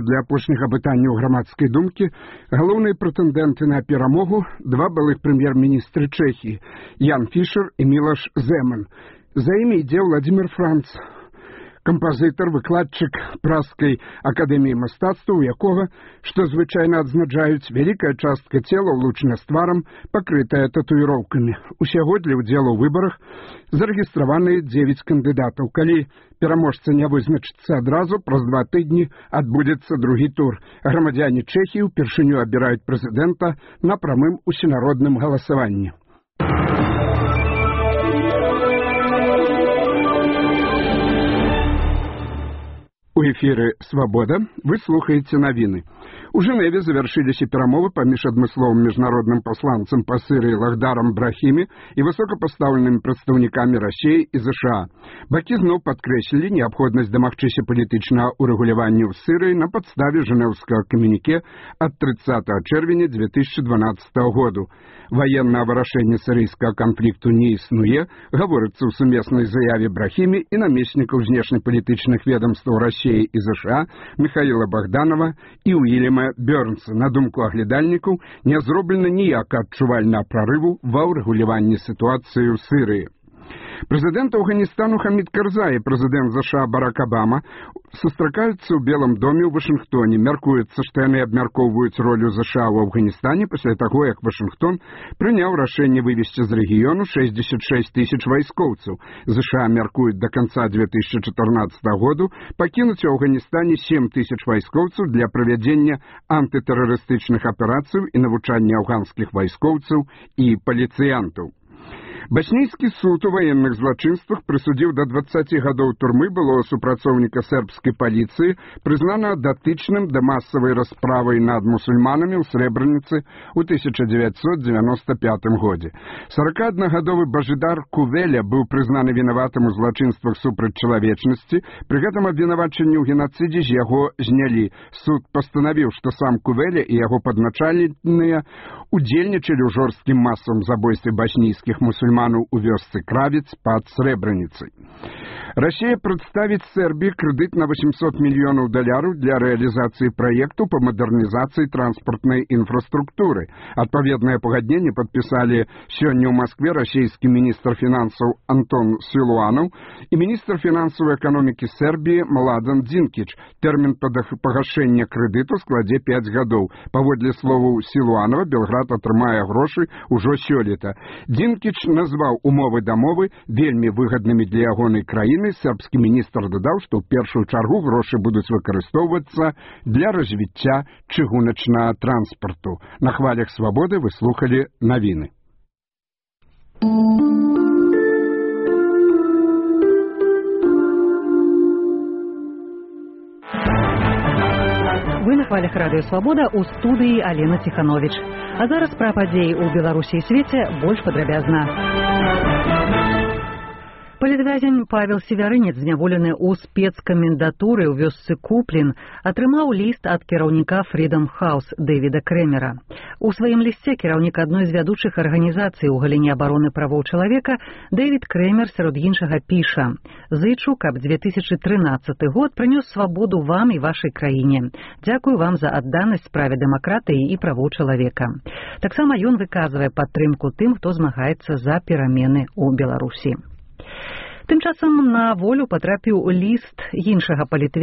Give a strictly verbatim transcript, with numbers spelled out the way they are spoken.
паводле апошніх апытанняў грамадскай думкі, галоўныя прэтэндэнты на перамогу два былых прэм'ер-міністры Чэхіі Ян Фішер і Мілош Земан. За імі ідзе Владзімір Франц, кампазітар, выкладчык Празскай акадэміі мастацтваў, у якога, што звычайна адзначаюць, вялікая частка цела ўлучана з тварам, пакрытая татуіроўкамі. Усяго для ўдзелу ў выбарах зарэгістраваны дзевяць кандыдатаў. Калі пераможца не вызначыцца адразу, праз два тыдні адбудзецца другі тур. Грамадзяне Чэхіі ўпершыню абіраюць прэзідэнта на прамым усенародным галасаванні. У эфіры «Свабода» вы слухаеце навіны. У Жэневе завяршыліся перамовы паміж адмысловым міжнародным пасланцам па Сірыі Лахдарам Брахімі і высокапастаўленымі прадстаўнікамі Расіі і ЗША. Бакі зноў падкрэслілі неабходнасць дамагчыся палітычнага ўрэгулявання ў Сірыі на падставе жэнеўскага камюніке ад трыццатага чэрвеня дзве тысячы дванаццатага году. Ваеннае вырашэнне сірыйскага канфлікту не існуе, гаворыцца ў сумеснай заяве Брахімі і намеснікаў знешнепалітычных ведамстваў Расіі і ЗША Михаіла Богданова і Уільяма Бёрнса. На думку аглядальнікаў, не зроблена ніякага адчувальнага прарыву ва ўрэгуляванні сітуацыі ў Сірыі. Прэзідэнт Афганістану Хамід Карзай і прэзідэнт ЗША Барак Абама сустракаюцца ў Белым доме ў Вашынгтоне. Мяркуецца, што яны абмяркоўваюць ролю ЗША ў Афганістане пасля таго, як Вашынгтон прыняў рашэнне вывесці з рэгіёну шэсцьдзесят шэсць тысяч вайскоўцаў. ЗША мяркуюць да канца дзве тысячы чатырнаццатага году пакінуць у Афганістане сем тысяч вайскоўцаў для правядзення антытэрарыстычных аперацый і навучання афганскіх вайскоўцаў і паліцыянтаў. Баснійскі суд у ваенных злачынствах прысудзіў да дваццаці гадоў турмы былога супрацоўніка сербскай паліцыі, прызнанага датычным да масавай расправы над мусульманамі ў Срэбраніцы ў тысяча дзевяцьсот дзевяноста пятым годзе. сорокааднагадовы Бажидар Кувеля быў прызнаны вінаватым у злачынствах супраць чалавечнасці, пры гэтым абвінавачанні ў генацыдзе з яго знялі. Суд пастанавіў, што сам Кувеля і яго падначаленыя удзельнічалі ў жорсткім масавым забойстве баснійскіх мусульман у вёсцы Кравец пад Срэбраніцай. Расія прадставіць Сербіі крэдыт на восемьсот мільёнаў даляраў для рэалізацыі праекту па мадэрнізацыі транспартнай інфраструктуры. Адпаведнае пагадненне падпісалі сёння ў Маскве расійскі міністр фінансаў Антон Сілуанаў і міністр фінансавай эканомікі Сербіі Младен Динкіч. Тэрмін пагашэння крэдыту складзе пяць гадоў. Паводле словаў Сілуанова, Белград атрымае грошы ўжо сёлета. Динкіч назваў умовы дамовы вельмі выгаднымі для ягонай краіны. Сербскі міністр дадаў, што ў першую чаргу грошы будуць выкарыстоўвацца для развіцця чыгуначнага транспарту. На хвалях свабоды вы слухалі навіны. Вы на хвалях радыё «Свабода», у студыі Алена Ціхановіч. А зараз пра падзеі ў Беларусі і свеце больш падрабязна. Палітвязень Павел Севярынец, зняволены ў спецкамендатуры ў вёсцы Куплін, атрымаў ліст ад кіраўніка Freedom House Дэвіда Крэмера. У сваім лісце кіраўнік адной з вядучых арганізацый у галіне абароны правоў чалавека Дэвід Крэмер сярод іншага піша: «Зычу, каб дзве тысячы трынаццаты год прынёс свабоду вам і вашай краіне. Дзякую вам за адданасць справе дэмакратыі і правоў чалавека». Таксама ён выказвае падтрымку тым, хто змагаецца за перамены ў Беларусі. Тым часам на волю патрапіў ліст іншага палітвязня